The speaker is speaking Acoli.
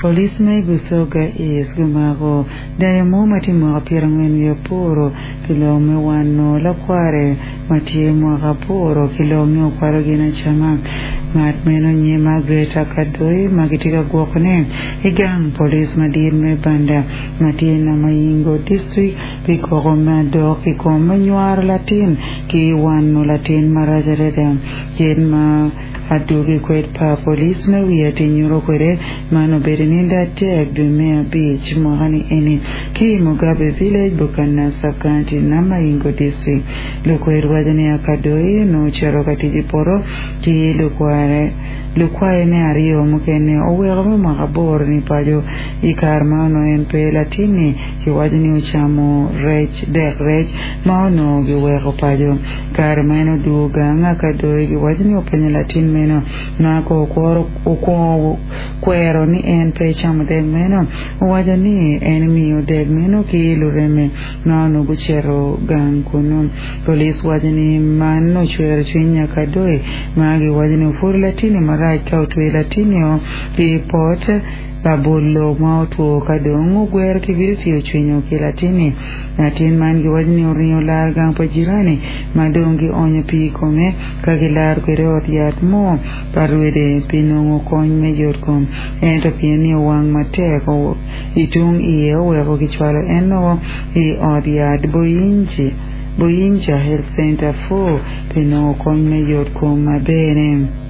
Police me Busoga East gumako dayo mo ma tye mwaka pyerangwen wiye aboro pi lok me wano lakware ma tye mwaka aboro ki lok ni okwalo gin acama. Ngat meno nyinge Margaret Akadoi ma gitye ka gwokone i gang police madit me Banda ma tye i Namayingo District pi koko me adok i kom me nywaro latin ki wano latin marac adada. Kit ma Adwogi kwed pa police me wiye tye nyuto kwede man obedo i nindo adek dwe me abic mwaka ni eni ki i Mugabe Village, Bukana Sub-County, Namayingo District. Lukwed waco ni Akadoi onongo ocito ka tic i poto ki lukware lukwaye ne aryo mukene oweko me mwaka aboro ni paco i kare ma onongo en pe latinni kiwaco ni ocamo rec dek rec ma onongo giweko paco. Kare ma en odwogo gang, Akadoi giwaco ni openyo latin meno ma ka okwongo kwero ni en pe ecamo dek meno. Owaco ni en emiyo dek meno ki lureme ma onongo gucito gang kunnu. Police waco ni man ocwero cwiny Akadoi ma giwaco ni opwodo latinni marac ka otweyo latinni-o ki pot labolo ma otwo ka dong ogwero kibiriti ocwinyo ki latinni. Latin man giwaco ni oringo lar gang pa jirani ma dong gionyo pii i kome ka gilaro kwede ot yat mo pa rwede pi nongo kony me yotkom. Ento pien ni owang matek i tung iye oweko kicwalo en woko i ot yat Boyinja Health Center 4 pi nongo kony me yotkom maber-ne.